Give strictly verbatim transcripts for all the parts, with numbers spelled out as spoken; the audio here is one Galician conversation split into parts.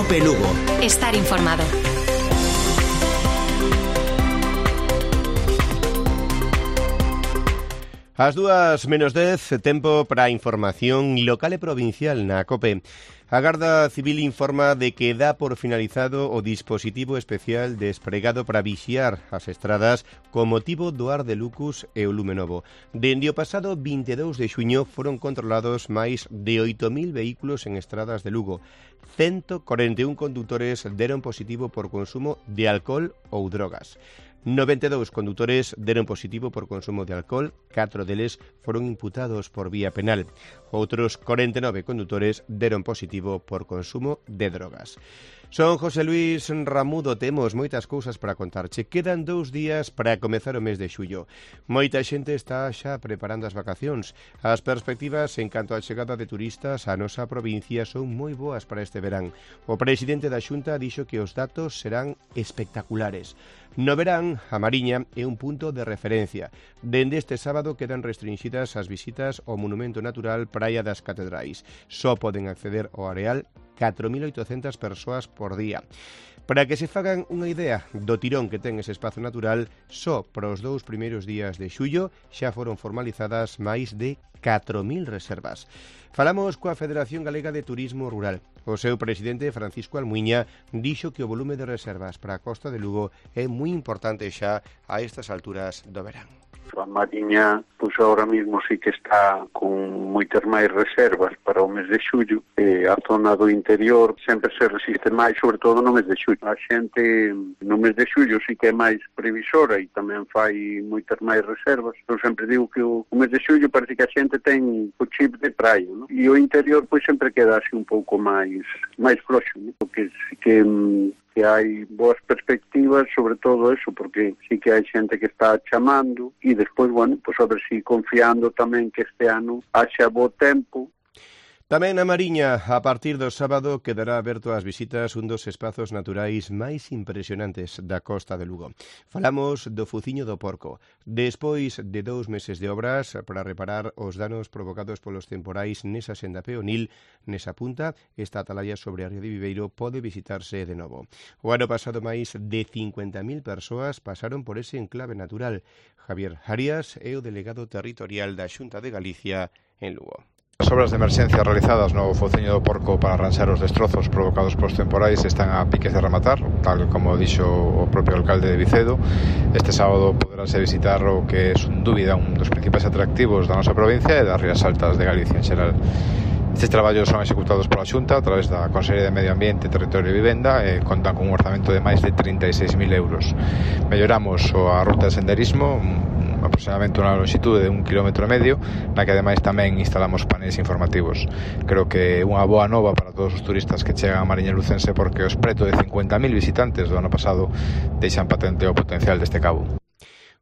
Cope Lugo. Estar informado. As dúas menos dez, tempo para a información local e provincial na COPE. A Garda Civil informa de que dá por finalizado o dispositivo especial despregado para vixiar as estradas con motivo do Ar de Lucus e o Lume Novo. Dende o pasado vinte e dous de xuño foron controlados máis de oito mil vehículos en estradas de Lugo. ciento corenta e un condutores deron positivo por consumo de alcohol ou drogas. noventa e dous condutores deron positivo por consumo de alcohol, catro deles foron imputados por vía penal. Outros corenta e nove condutores deron positivo por consumo de drogas. Son José Luis Ramudo, temos moitas cousas para contarche. Quedan dous días para comezar o mes de xullo. Moita xente está xa preparando as vacacións. As perspectivas en canto á chegada de turistas á nosa provincia son moi boas para este verán. O presidente da Xunta dixo que os datos serán espectaculares. No verán, a Mariña é un punto de referencia. Dende este sábado quedan restringidas as visitas ao Monumento Natural Praia das Catedrais. Só poden acceder ao areal catro mil oitocentas persoas por día. Para que se fagan unha idea do tirón que ten ese espazo natural, só para os dous primeiros días de xullo xa foron formalizadas máis de catro mil reservas. Falamos coa Federación Galega de Turismo Rural. O seu presidente, Francisco Almuiña, dixo que o volume de reservas para a Costa de Lugo é moi importante xa a estas alturas do verán. A Mariña, pois agora mesmo sí que está con moitas máis reservas para o mes de xullo, e a zona do interior sempre se resiste máis, sobre todo no mes de xullo. A xente no mes de xullo sí que é máis previsora e tamén fai moitas máis reservas. Eu sempre digo que o, o mes de xullo parece que a xente ten o chip de praia, ¿no? E o interior pois sempre queda así un pouco máis máis floxo, ¿no? Porque sí que que hai boas perspectivas, sobre todo eso, porque sí que hai xente que está chamando e despois, bueno, pues a ver si confiando tamén que este ano haxa bo tempo. Tamén na Mariña, a partir do sábado, quedará aberto ás visitas un dos espazos naturais máis impresionantes da Costa de Lugo. Falamos do Fuciño do Porco. Despois de dous meses de obras para reparar os danos provocados polos temporais nesa senda peonil, nesa punta, esta atalaya sobre a ría de Viveiro pode visitarse de novo. O ano pasado máis de cincuenta mil persoas pasaron por ese enclave natural. Javier Arias é o delegado territorial da Xunta de Galicia en Lugo. As obras de emerxencia realizadas no Fociño do Porco para arranxar os destrozos provocados polos temporais están a piques de rematar, tal como dixo o propio alcalde de Vicedo. Este sábado poderase visitar o que é, sen dúbida, un dos principais atractivos da nosa provincia e das Rías Altas de Galicia en xeral. Estes traballos son executados pola Xunta a través da Consellería de Medio Ambiente, Territorio e Vivenda e contan con un orzamento de máis de trinta e seis mil euros. Melloramos a ruta de senderismo, aproximadamente unha longitude de un kilómetro e medio, na que ademais tamén instalamos paneis informativos. Creo que é unha boa nova para todos os turistas que chegan a Mariña Lucense, porque os preto de cincuenta mil visitantes do ano pasado deixan patente o potencial deste cabo.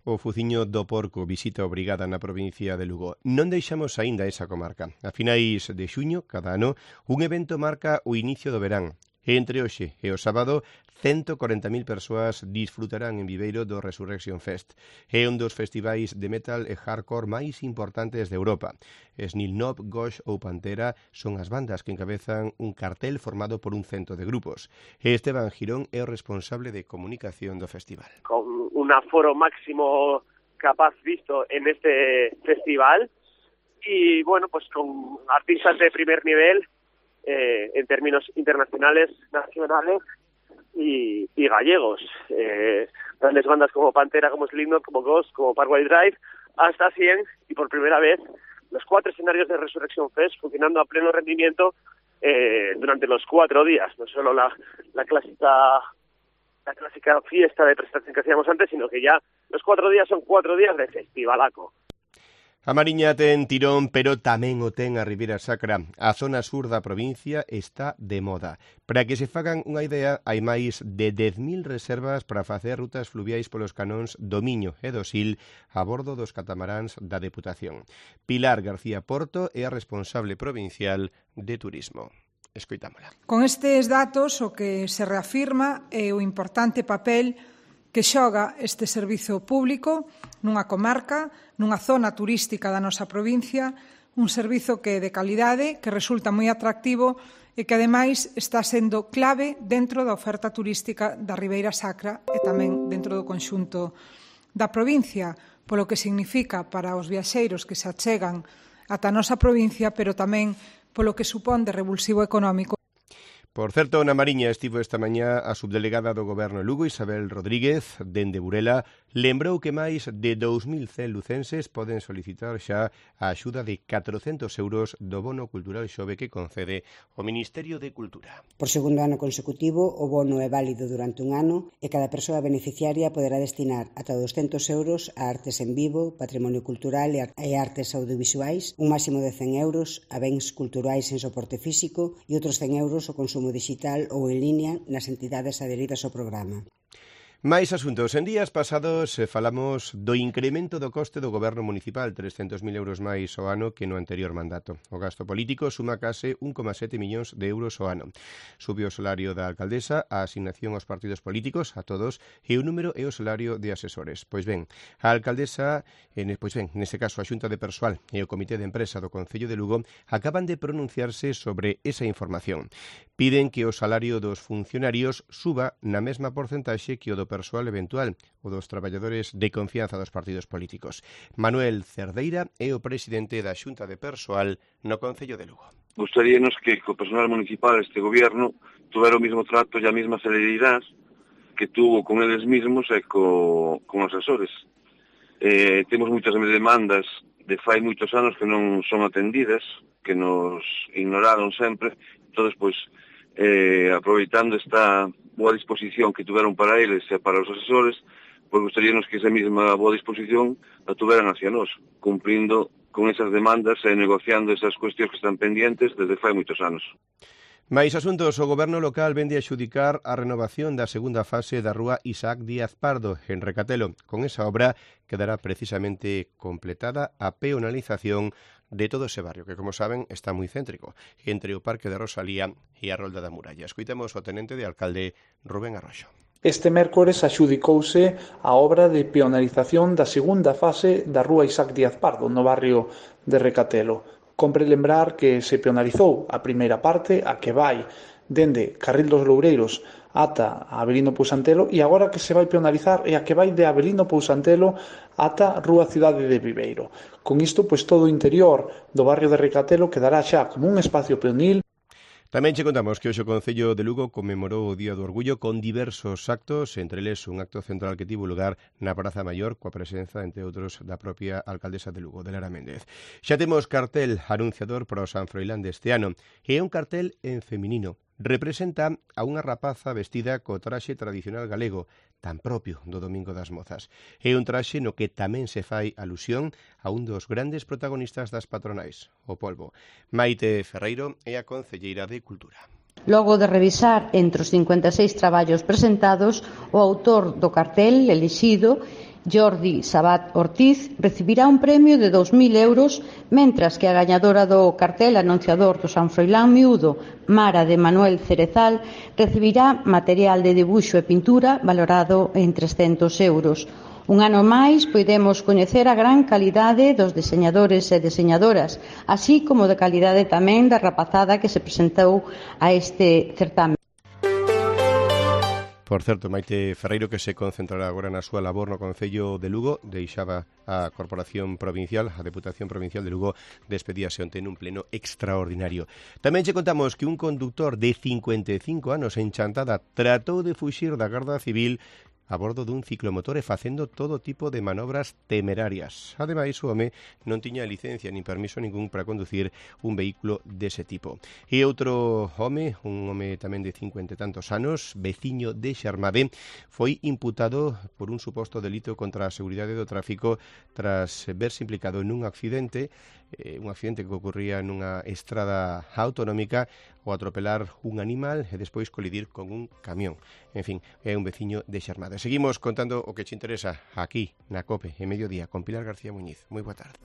O Fuciño do Porco, visita obrigada na provincia de Lugo. Non deixamos aínda esa comarca. A finais de xuño, cada ano, un evento marca o inicio do verán. Entre hoxe e o sábado, ciento corenta mil persoas disfrutarán en Viveiro do Resurrection Fest. É un dos festivais de metal e hardcore máis importantes de Europa. Slipknot, Ghost ou Pantera son as bandas que encabezan un cartel formado por un cento de grupos. Esteban Girón é o responsable de comunicación do festival. Con un aforo máximo capaz visto en este festival y, bueno, pues con artistas de primer nivel Eh, en términos internacionales, nacionales y, y gallegos. Eh, grandes bandas como Pantera, como Slipknot, como Ghost, como Parkway Drive, hasta cien, y por primera vez los cuatro escenarios de Resurrection Fest funcionando a pleno rendimiento eh, durante los cuatro días. No solo la, la clásica la clásica fiesta de presentación que hacíamos antes, sino que ya los cuatro días son cuatro días de festivalaco. A Mariña ten tirón, pero tamén o ten a Ribeira Sacra. A zona sur da provincia está de moda. Para que se fagan unha idea, hai máis de dez mil reservas para facer rutas fluviais polos canóns do Miño e do Sil a bordo dos catamaráns da Deputación. Pilar García Porto é a responsable provincial de turismo. Escoitámola. Con estes datos, o que se reafirma é o importante papel que xoga este servizo público nunha comarca, nunha zona turística da nosa provincia, un servizo que é de calidade, que resulta moi atractivo e que, ademais, está sendo clave dentro da oferta turística da Ribeira Sacra e tamén dentro do conxunto da provincia, polo que significa para os viaxeiros que se achegan ata a nosa provincia, pero tamén polo que supón de revulsivo económico. Por certo, na Mariña estivo esta mañá a subdelegada do Goberno Lugo, Isabel Rodríguez, dende Burela, lembrou que máis de dous mil cen lucenses poden solicitar xa a axuda de catrocentos euros do bono cultural xove que concede o Ministerio de Cultura. Por segundo ano consecutivo, o bono é válido durante un ano e cada persoa beneficiaria poderá destinar ata doscentos euros a artes en vivo, patrimonio cultural e artes audiovisuais, un máximo de cen euros a bens culturais en soporte físico e outros cen euros ao consumo digital ou en línea nas entidades adheridas ao programa. Máis asuntos. En días pasados eh, falamos do incremento do coste do goberno municipal, trescentos mil euros máis ao ano que no anterior mandato. O gasto político suma case un coma sete millóns de euros ao ano. Subiu o salario da alcaldesa, a asignación aos partidos políticos, a todos, e o número e o salario de asesores. Pois ben, a alcaldesa, en, pois ben, neste caso a Xunta de Persoal e o Comité de Empresa do Concello de Lugo acaban de pronunciarse sobre esa información. Piden que o salario dos funcionarios suba na mesma porcentaxe que o do persoal eventual, o dos traballadores de confianza dos partidos políticos. Manuel Cerdeira é o presidente da Xunta de Persoal no Concello de Lugo. Gustaríanos que co personal municipal este gobierno tuvera o mismo trato e a mesma celeridade que tuvo con eles mismos e co, con os asesores. Eh, temos moitas demandas de fai moitos anos que non son atendidas, que nos ignoraron sempre, entón, pois, eh, aproveitando esta boa disposición que tuveron para eles e para os asesores, pois gustaríanos que esa mesma boa disposición la tuveran hacia nós, cumprindo con esas demandas e negociando esas cuestións que están pendientes desde fai moitos anos. Mais asuntos, o goberno local vende a xudicar a renovación da segunda fase da rúa Isaac Díaz Pardo, en Recatelo. Con esa obra quedará precisamente completada a peonalización de todo ese barrio, que, como saben, está moi céntrico, entre o Parque de Rosalía e a Rolda da Muralla. Escoitemos o tenente de alcalde Rubén Arroxo. Este mércores axudicouse a obra de peonalización da segunda fase da rúa Isaac Díaz Pardo, no barrio de Recatelo. Compre lembrar que se peonalizou a primeira parte, a que vai dende Carril dos Loureiros ata Avelino Pousantelo, e agora que se vai peonalizar é a que vai de Avelino Pousantelo ata Rúa Cidade de Viveiro. Con isto, pois todo o interior do barrio de Recatelo quedará xa como un espacio peonil. Tamén che contamos que hoxe o Concello de Lugo conmemorou o Día do Orgullo con diversos actos, entre eles un acto central que tivo lugar na Praza Maior coa presenza, entre outros, da propia alcaldesa de Lugo, de Lara Méndez. Xa temos cartel anunciador para o San Froilán deste ano, e é un cartel en feminino. Representa a unha rapaza vestida co traxe tradicional galego, tan propio do Domingo das Mozas. É un traxe no que tamén se fai alusión a un dos grandes protagonistas das patronais, o polvo. Maite Ferreiro é a concelleira de Cultura. Logo de revisar entre os cincuenta e seis traballos presentados, o autor do cartel elixido, Jordi Sabat Ortiz, recibirá un premio de dous mil euros, mentras que a gañadora do cartel anunciador do San Froilán Miúdo, Mara de Manuel Cerezal, recibirá material de dibuixo e pintura valorado en trescentos euros. Un ano máis podemos coñecer a gran calidade dos deseñadores e deseñadoras, así como de calidade tamén da rapazada que se presentou a este certame. Por certo, Maite Ferreiro, que se concentrará agora na súa labor no Concello de Lugo, deixaba a Corporación Provincial, a Deputación Provincial de Lugo, despedíase onte nun pleno extraordinario. Tamén che contamos que un conductor de cincuenta e cinco anos en Chantada tratou de fuxir da Garda Civil a bordo dun ciclomotor e facendo todo tipo de manobras temerarias. Ademais, o home non tiña licencia nin permiso ningún para conducir un vehículo dese tipo. E outro home, un home tamén de cincuenta e tantos anos, veciño de Xarmade, foi imputado por un suposto delito contra a seguridade do tráfico tras verse implicado nun accidente, eh, un accidente que ocurría nunha estrada autonómica ao atropelar un animal e despois colidir con un camión. En fin, é un veciño de Xarmade. Seguimos contando o que te interesa aquí na COPE, en Mediodía, con Pilar García Muñiz. Moi boa tarde.